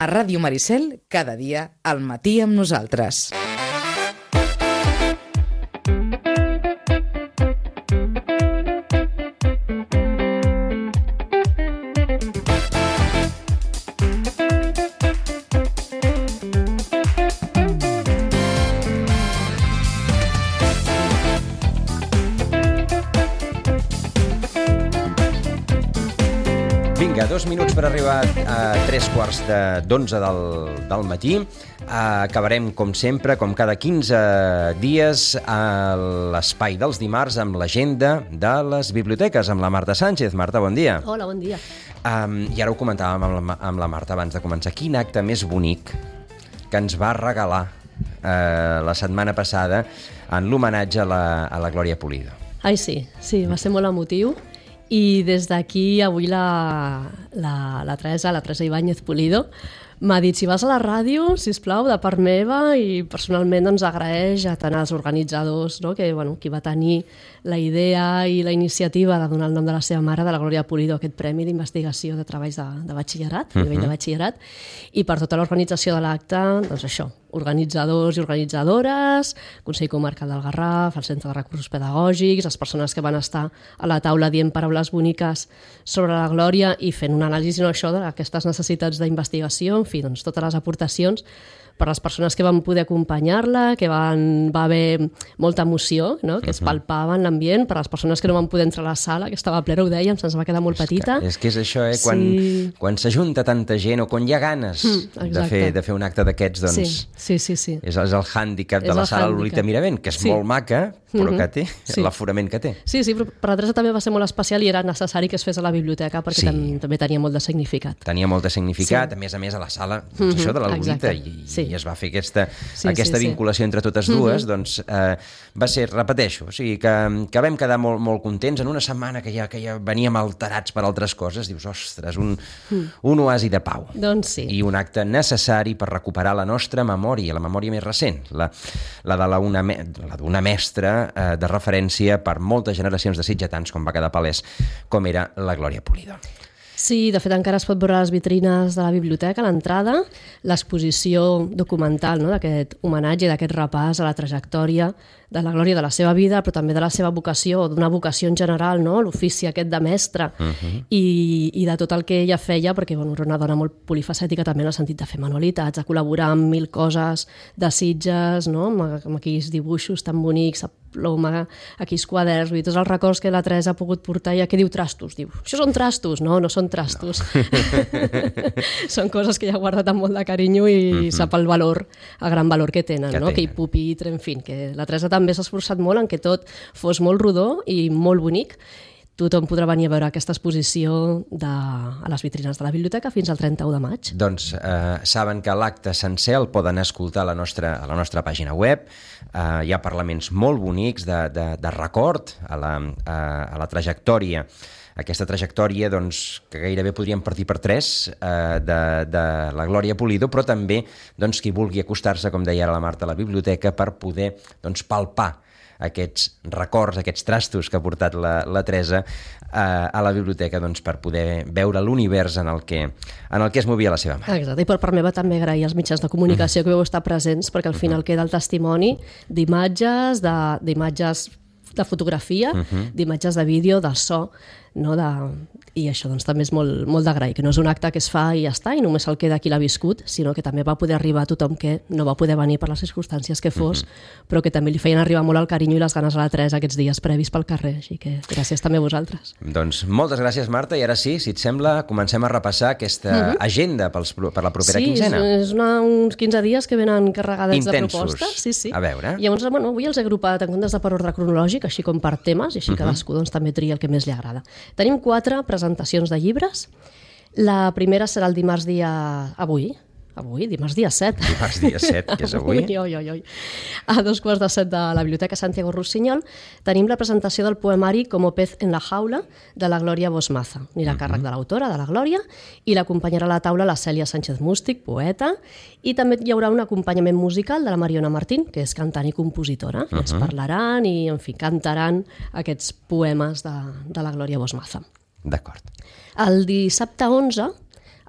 A Ràdio Maricel, cada dia, al matí amb nosaltres. Vinga, 2 minuts per arribar a 3:15 del matí. Acabarem, com sempre, com cada 15 dies, a l'espai dels dimarts amb l'agenda de les biblioteques, amb la Marta Sánchez. Marta, bon dia. Hola, bon dia. I ara ho comentàvem amb la Marta abans de començar. Quin acte més bonic que ens va regalar la setmana passada en l'homenatge a la Glòria Pulido. Ai, sí, va ser molt emotiu. I des d'aquí avui la Teresa Ibáñez Pulido m'ha dit, si vas a la ràdio, sisplau, de part meva, i personalment doncs agraeix a tant als organitzadors, no? Que, qui va tenir la idea i la iniciativa de donar el nom de la seva mare, de la Glòria Pulido, aquest premi d'investigació de treballs de batxillerat, a nivell de batxillerat, i per tota l'organització de l'acte, doncs això, organitzadors i organitzadores, Consell Comarcal del Garraf, el Centre de Recursos Pedagògics, les persones que van estar a la taula dient paraules boniques sobre la Glòria i fent un anàlisi, no, això, d'aquestes necessitats d'investigació, en fi, doncs totes les aportacions per les persones que van poder acompanyar-la, que va haver molta emoció, no? Que es palpava en l'ambient, per les persones que no van poder entrar a la sala, que estava plena, ho dèiem, se'ns va quedar molt petita. És que és això, quan s'ajunta tanta gent o quan hi ha ganes de fer un acte d'aquests, doncs sí. És el hàndicap de la sala Lolita Miravent, que és molt maca, però que té l'aforament que té. Sí, però per la Teresa també va ser molt especial i era necessari que es fes a la biblioteca perquè també tenia molt de significat. Tenia molt de significat, a més a la sala, això de la Lolita, i es va fer aquesta vinculació entre totes dues, doncs va ser, repeteixo, o sigui que vam quedar molt contents en una setmana que ja veníem alterats per altres coses, dius, ostres, un oasi de pau. Doncs sí. I un acte necessari per recuperar la nostra memòria, la memòria més recent, la d'una mestra de referència per moltes generacions de sitgetans, com va quedar palès, com era la Glòria Pulido. Sí, de fet encara es pot veure a les vitrines de la biblioteca, a l'entrada, l'exposició documental, no?, d'aquest homenatge, d'aquest repàs a la trajectòria de la Glòria, de la seva vida, però també de la seva vocació, d'una vocació en general, no?, l'ofici aquest de mestre, i de tot el que ella feia, perquè era una dona molt polifacètica també en el sentit de fer manualitats, de col·laborar amb 1000 coses de Sitges, no?, amb aquells dibuixos tan bonics, ploma, aquells quaderns, tots els records que la Teresa ha pogut portar. I què diu trastos? Diu, això són trastos? No són trastos. No. Són coses que ja ha guardat amb molt de carinyo i sap el gran valor que tenen, no? Aquell pupitre, en fi, que la Teresa també s'ha esforçat molt en que tot fos molt rodó i molt bonic. Tothom podrà venir a veure aquesta exposició a les vitrines de la biblioteca fins al 31 de maig. Doncs saben que l'acte sencer el poden escoltar a la nostra pàgina web. Hi ha parlaments molt bonics de record a la trajectòria. Aquesta trajectòria doncs, que gairebé podríem partir per 3 de la Glòria Pulido, però també qui vulgui acostar-se, com deia ara la Marta, a la biblioteca per poder palpar aquests records, aquests trastos que ha portat la Teresa a la biblioteca per poder veure l'univers en el que es movia la seva mare. Exacte, i per part meva també agrair als mitjans de comunicació que vau estar presents, perquè al final queda el testimoni d'imatges, de fotografia, d'imatges de vídeo, de so, no? I això també és molt d'agrair, que no és un acte que es fa i ja està, i només el queda qui l'ha viscut, sinó que també va poder arribar a tothom que no va poder venir per les circumstàncies que fos, però que també li feien arribar molt el carinyo i les ganes a la Teresa aquests dies previs pel carrer, així que gràcies també a vosaltres. Doncs moltes gràcies, Marta, i ara sí, si et sembla, comencem a repassar aquesta agenda per la propera quinzena. Sí, és uns 15 dies que venen carregades de propostes. Sí. A veure. Llavors, avui els he agrupat en comptes de per ordre cronològic, així com per temes, i així cadascú també tria el que més li agrada. Tenim 4 presentacions de llibres. La primera serà el dimarts dimarts dia 7. Dimarts dia 7, que és avui. A 6:45 de la Biblioteca Santiago Rusiñol tenim la presentació del poemari Como pez en la jaula, de la Glòria Bosmaza. Anirà a càrrec de l'autora, de la Glòria, i l'acompanyarà a la taula la Cèlia Sánchez Mústic, poeta, i també hi haurà un acompanyament musical de la Mariona Martín, que és cantant i compositora. Ens parlaran i, en fi, cantaran aquests poemes de la Glòria Bosmaza. D'acord. El dissabte 11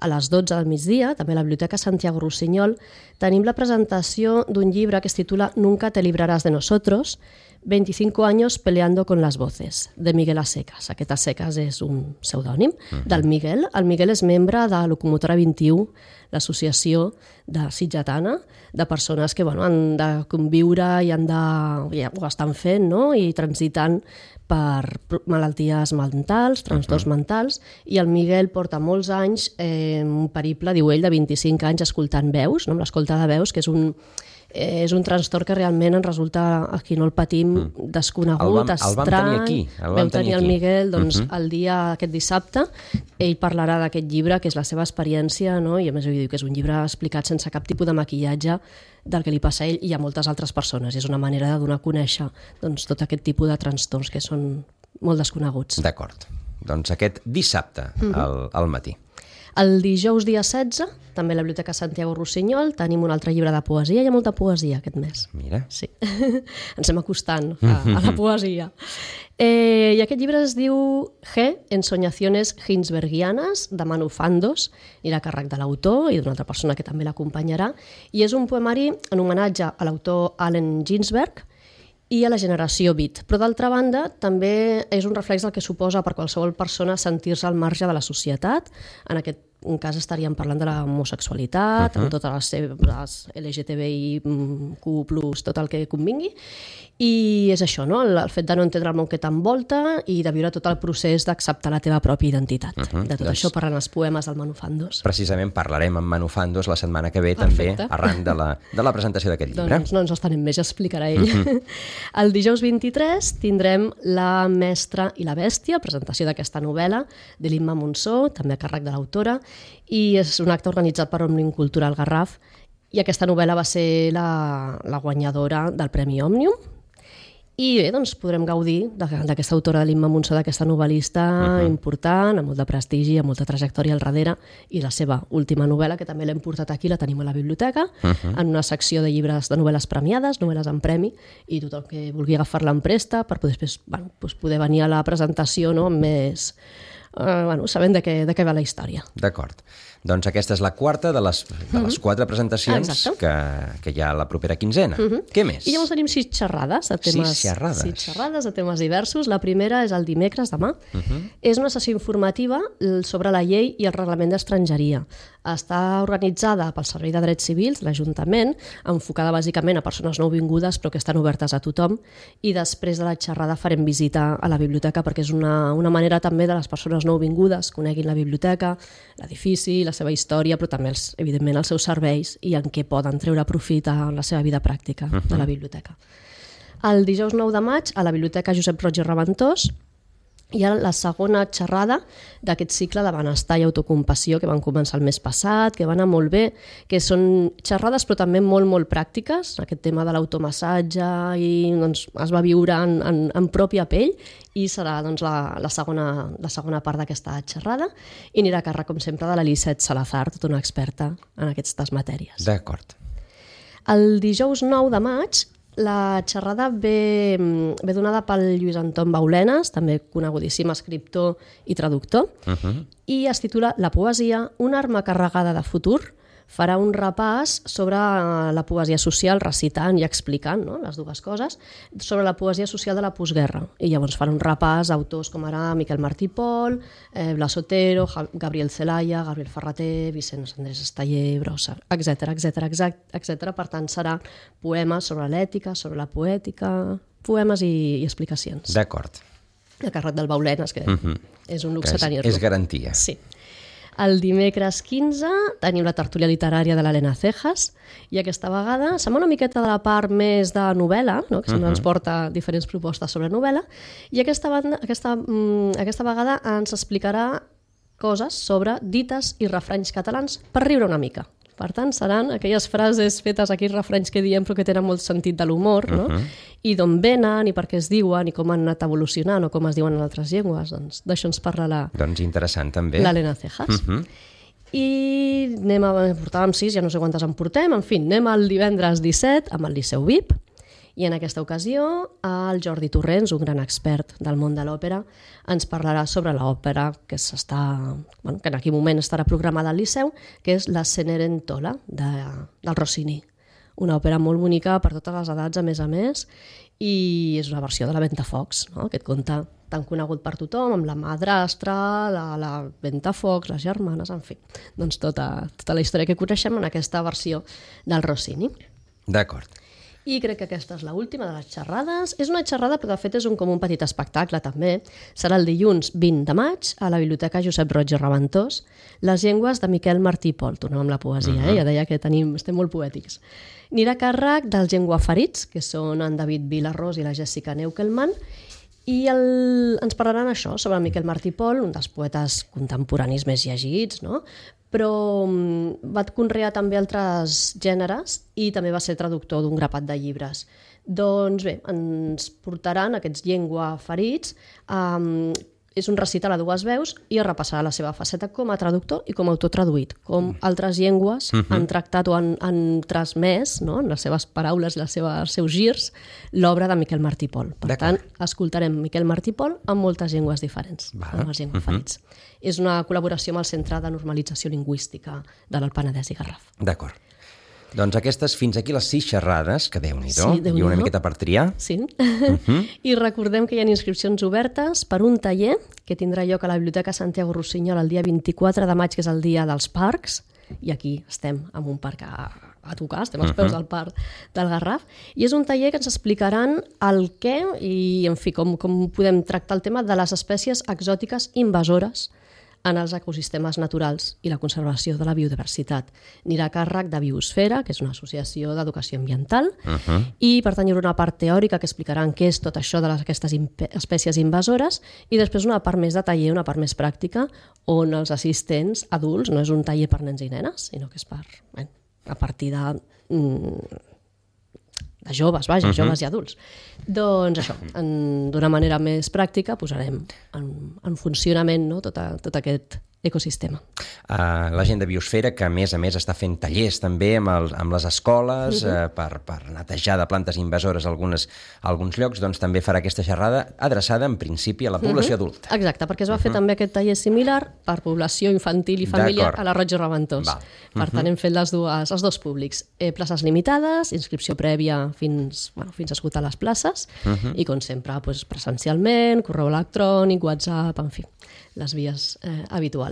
a les 12 del migdia, també a la Biblioteca Santiago Rossinyol, tenim la presentació d'un llibre que es titula Nunca te librarás de nosotros, 25 años peleando con las voces, de Miguel Asecas. Aquest Asecas és un pseudònim del Miguel. El Miguel és membre de Locomotora 21, l'associació de sitgetana, de persones que han de conviure i ho estan fent, no? I transitant per malalties mentals, trastorns mentals, i el Miguel porta molts anys, un periple, diu ell, de 25 anys escoltant veus, no? Amb l'escolta de veus, que és un trastorn que realment ens resulta, a qui no el patim, desconegut, estrany. El vam tenir el Miguel el dia aquest dissabte. Ell parlarà d'aquest llibre, que és la seva experiència, no? I a més ell diu que és un llibre explicat sense cap tipus de maquillatge del que li passa a ell i a moltes altres persones. És una manera de donar a conèixer tot aquest tipus de trastorns que són molt desconeguts. D'acord. Doncs aquest dissabte al matí. El dijous dia 16, també a la Biblioteca Santiago Rossinyol, tenim un altre llibre de poesia. Hi ha molta poesia aquest mes. Mira. Sí. Ens estem acostant a la poesia. I aquest llibre es diu G, Ensoñaciones Ginsbergianes, de Manu Fandos, i a càrrec de l'autor i d'una altra persona que també l'acompanyarà. I és un poemari en homenatge a l'autor Allen Ginsberg i a la generació beat. Però d'altra banda també és un reflex del que suposa per qualsevol persona sentir-se al marge de la societat. En aquest cas estaríem parlant de l'homosexualitat, amb totes les seves LGTBIQ+, tot el que convingui. I és això, no? El fet de no entendre el món que t'envolta i de viure tot el procés d'acceptar la teva pròpia identitat. De tot això parlen els poemes del Manu Fandos. Precisament parlarem amb Manu Fandos la setmana que ve també, arran de la presentació d'aquest llibre. Doncs no ens estanem més, ja explicarà ell. El dijous 23 tindrem La mestra i la bèstia, presentació d'aquesta novel·la de l'Imma Monsó, també a càrrec de l'autora, i és un acte organitzat per Òmnium Cultural Garraf, i aquesta novel·la va ser la guanyadora del Premi Òmnium. I bé, doncs podrem gaudir d'aquesta autora de l'Imma Monsó, d'aquesta novel·lista important, amb molt de prestigi, amb molta trajectòria al darrere, i la seva última novel·la, que també l'hem portat aquí, la tenim a la biblioteca, en una secció de llibres de novel·les premiades, novel·les en premi, i tothom que vulgui agafar-la en presta per poder venir a la presentació amb més... sabent de què va la història. D'acord. Doncs aquesta és la quarta de les 4 presentacions que hi ha la propera quinzena. Què més? I llavors tenim 6 xerrades de temes, 6 xerrades de temes diversos. La primera és el dimecres, demà. És una sessió informativa sobre la llei i el reglament d'estrangeria. Està organitzada pel Servei de Drets Civils, l'Ajuntament, enfocada bàsicament a persones nouvingudes però que estan obertes a tothom, i després de la xerrada farem visita a la biblioteca perquè és una manera també de les persones nouvingudes coneguin la biblioteca, l'edifici, la seva història, però també, evidentment, els seus serveis i en què poden treure profit a la seva vida pràctica de la biblioteca. El dijous 9 de maig, a la Biblioteca Josep Roig i Reventós, hi ha la segona xerrada d'aquest cicle de benestar i autocompassió que van començar el mes passat, que van anar molt bé, que són xerrades però també molt, molt pràctiques. Aquest tema de l'automassatge i, es va viure en pròpia pell, i serà la segona part d'aquesta xerrada, i anirà a càrrec, com sempre, de l'Elisette Salazar, tota una experta en aquestes matèries. D'acord. El dijous 9 de maig la xerrada ve donada pel Lluís Anton Baulenes, també conegudíssim escriptor i traductor, i es titula La poesia, una arma carregada de futur. Farà un repàs sobre la poesia social, recitant i explicant, no?, les dues coses, sobre la poesia social de la postguerra. I llavors farà un repàs a autors com ara Miquel Martí i Pol, Blas Otero, Gabriel Celaya, Gabriel Ferrater, Vicenç Andrés Esteller, Brossa, etc. Per tant, serà poemes sobre l'ètica, sobre la poètica, poemes i explicacions. D'acord. A càrrec del Baulenes, que és un luxe tenir-lo. És garantia. Sí. El dimecres 15 tenim la tertúlia literària de l'Helena Cejas, i aquesta vegada sembla una miqueta de la part més de novel·la, no?, que sempre ens porta diferents propostes sobre novel·la, i aquesta vegada ens explicarà coses sobre dites i refranys catalans per riure una mica. Per tant, seran aquelles frases fetes, aquells refranys que diem però que tenen molt sentit de l'humor, no? I d'on venen, i per què es diuen, i com han anat evolucionant, o com es diuen en altres llengües. Doncs d'això ens parla interessant, també. l'Helena Cejas. I portàvem 6, ja no sé quantes en portem, en fi, anem el divendres 17 amb el Liceu VIP, I en aquesta ocasió el Jordi Torrents, un gran expert del món de l'òpera, ens parlarà sobre l'òpera que en aquell moment estarà programada al Liceu, que és la Cenerentola del Rossini. Una òpera molt bonica per totes les edats, a més, i és una versió de la Ventafocs, no? Aquest conte tan conegut per tothom, amb la madrastra, la Ventafocs, les germanes, en fi, doncs tota la història que coneixem en aquesta versió del Rossini. D'acord. I crec que aquesta és l'última de les xerrades. És una xerrada, però de fet és com un petit espectacle, també. Serà el dilluns 20 de maig a la Biblioteca Josep Roig i Raventós, Les llengües de Miquel Martí i Pol. Tornem amb la poesia, ja deia que estem molt poètics. Anirà a càrrec dels llengüaferits, que són en David Vilarrós i la Jessica Neukelman, i ens parlaran això, sobre Miquel Martí i Pol, un dels poetes contemporanis més llegits, no? Però va conrear també altres gèneres i també va ser traductor d'un grapat de llibres. Doncs bé, ens portaran aquests llengüaferits, és un recital a dues veus i es repassarà la seva faceta com a traductor i com a autor traduït, com altres llengües han tractat o han transmès, no?, en les seves paraules i els seus girs, l'obra de Miquel Martí i Pol. Per tant, escoltarem Miquel Martí i Pol amb moltes llengües diferents, amb els llengüaferits. És una col·laboració amb el Centre de Normalització Lingüística de l'Alt Penedès i Garraf. D'acord. Doncs aquestes, fins aquí les 6 xerrades, que Déu-n'hi-do, Sí, Déu-n'hi-do. I una miqueta per triar. Sí. I recordem que hi ha inscripcions obertes per un taller que tindrà lloc a la Biblioteca Santiago Rossinyol el dia 24 de maig, que és el dia dels parcs, i aquí estem en un parc a tocar, estem als peus del parc del Garraf, i és un taller que ens explicaran el què i, en fi, com podem tractar el tema de les espècies exòtiques invasores en els ecosistemes naturals i la conservació de la biodiversitat. Anirà a càrrec de Biosfera, que és una associació d'educació ambiental, i per tant hi haurà una part teòrica que explicaran què és tot això d'aquestes espècies invasores, i després una part més de taller, una part més pràctica, on els assistents adults, no és un taller per nens i nenes, sinó que és a partir de joves, joves i adults. Doncs això, d'una manera més pràctica posarem en funcionament, no?, tot aquest ecosistema. La gent de Biosfera, que a més està fent tallers també amb les escoles per netejar de plantes invasores alguns llocs, doncs també farà aquesta xerrada adreçada en principi a la població adulta. Exacte, perquè es va fer també aquest taller similar per població infantil i familiar a la Roig i Raventós. Per tant, hem fet els dos públics. Places limitades, inscripció prèvia fins a esgotar les places, i com sempre presencialment, correu electrònic, WhatsApp, en fi, les vies habituals.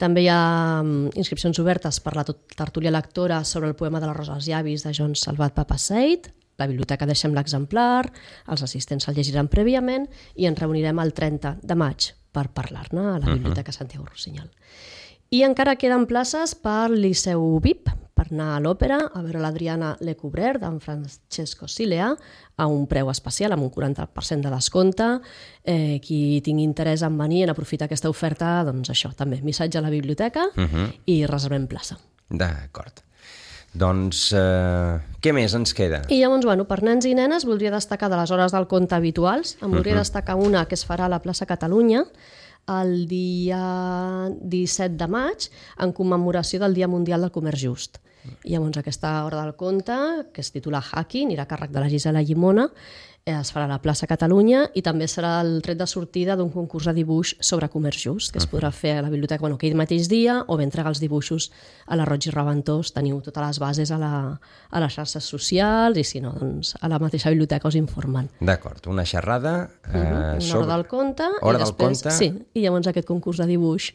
També hi ha inscripcions obertes per la tertúlia lectora sobre el poema de la Rosa als llavis de Joan Salvat Papasseit. La biblioteca deixem l'exemplar, els assistents el llegiran prèviament i ens reunirem el 30 de maig per parlar-ne a la Biblioteca Santiago Rossinyol. I encara queden places per Liceu VIP, per anar a l'òpera, a veure l'Adriana Lecouvreur d'en Francesco Silea, a un preu especial, amb un 40% de descompte. Qui tingui interès en venir, en aprofitar aquesta oferta, doncs això, també, missatge a la biblioteca i reservem plaça. D'acord. Doncs què més ens queda? I llavors, per nens i nenes, voldria destacar de les hores del conte habituals. Em voldria destacar una que es farà a la plaça Catalunya, el dia 17 de maig, en commemoració del Dia Mundial del Comerç Just. I llavors aquesta hora del conte, que es titula Haki, anirà a càrrec de la Gisela Llimona, es farà a la plaça Catalunya i també serà el tret de sortida d'un concurs de dibuix sobre comerç just, que es podrà fer a la biblioteca aquell mateix dia, o bé entregar els dibuixos a la Roig i Raventós. Teniu totes les bases a les xarxes socials i, si no, doncs a la mateixa biblioteca us informen. D'acord, una xerrada una hora del conte, hora del conte. Sí, i llavors aquest concurs de dibuix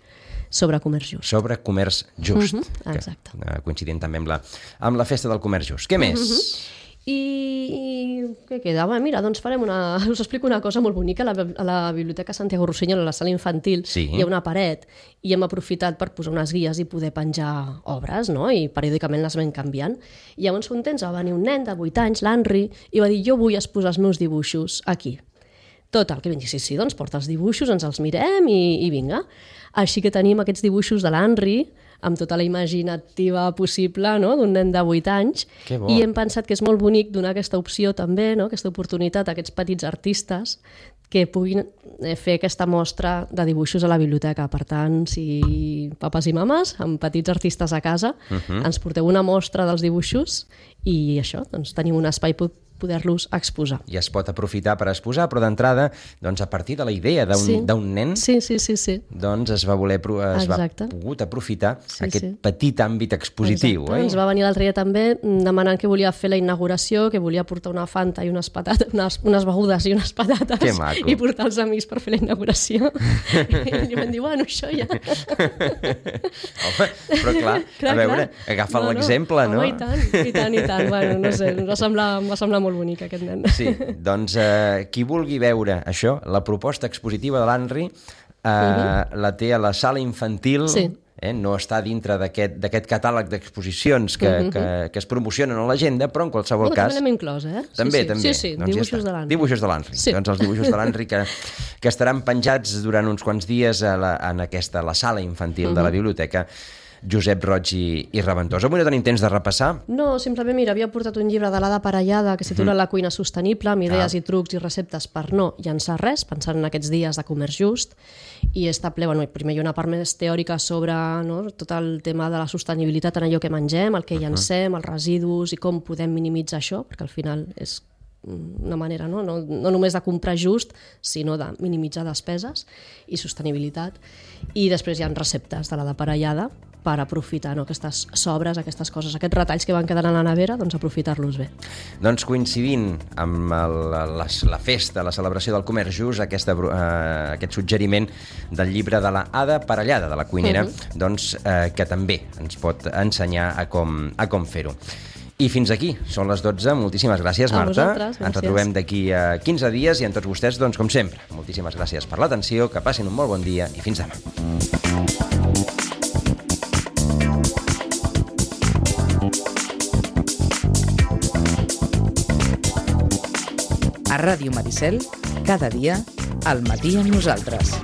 sobre comerç just. Sobre comerç just. Exacte. Coincidint també amb la festa del comerç just. Què més? I què queda? Mira, doncs us explico una cosa molt bonica. A la Biblioteca Santiago Rossinyol, a la sala infantil, hi ha una paret i hem aprofitat per posar unes guies i poder penjar obres, no? I periòdicament les vam canviant. I llavors un temps va venir un nen de 8 anys, l'Henry, i va dir: jo vull exposar els meus dibuixos aquí. Total, que vam dir, sí, doncs porta els dibuixos, ens els mirem i vinga. Així que tenim aquests dibuixos de l'Henry, amb tota la imaginativa possible, no?, d'un nen de 8 anys, i hem pensat que és molt bonic donar aquesta opció també, no?, aquesta oportunitat a aquests petits artistes que puguin fer aquesta mostra de dibuixos a la biblioteca. Per tant, si papes i mames, amb petits artistes a casa, ens porteu una mostra dels dibuixos i això, doncs tenim un espai poder-los exposar. I es pot aprofitar per exposar, però d'entrada, doncs, a partir de la idea d'un nen, sí. doncs es va pogut aprofitar aquest petit àmbit expositiu. Ens va venir l'altre dia també demanant que volia fer la inauguració, que volia portar una Fanta i unes patates, unes begudes i unes patates i portar els amics per fer la inauguració. I li van dir, bueno, això ja... Home, però clar, a veure, agafa l'exemple, no? Home, i tant. Bueno, no sé, em va semblar molt bonic aquest nen. Sí, doncs qui vulgui veure això, la proposta expositiva de l'Henry la té a la sala infantil, no està dintre d'aquest catàleg d'exposicions que es promocionen a l'agenda, però en qualsevol cas... També l'hem inclòs, També. Sí, dibuixos de l'Henry. Dibuixos de l'Henry. Doncs els dibuixos de l'Henry que estaran penjats durant uns quants dies a la sala infantil de la biblioteca Josep Roig i Reventós. Avui no tenim temps de repassar? No, simplement, mira, havia portat un llibre de l'Ada Parellada que es titula La cuina sostenible, amb idees i trucs i receptes per no llançar res, pensant en aquests dies de comerç just, i està ple, primer hi ha una part més teòrica sobre tot el tema de la sostenibilitat en allò que mengem, el que llancem, els residus i com podem minimitzar això, perquè al final és una manera no només de comprar just, sinó de minimitzar despeses i sostenibilitat. I després hi ha receptes de l'Ada Parellada per aprofitar aquestes sobres, aquestes coses, aquests retalls que van quedar a la nevera, doncs aprofitar-los bé. Doncs coincidint amb la festa, la celebració del comerç just, aquest suggeriment del llibre de l'Ada Parellada, de la cuinera, doncs que també ens pot ensenyar a com fer-ho. I fins aquí, són les 12. Moltíssimes gràcies, Marta. A vosaltres, gràcies. Ens retrobem d'aquí a 15 dies i a tots vostès, doncs, com sempre, moltíssimes gràcies per l'atenció, que passin un molt bon dia i fins demà. A Ràdio Maricel, cada dia, al matí amb nosaltres.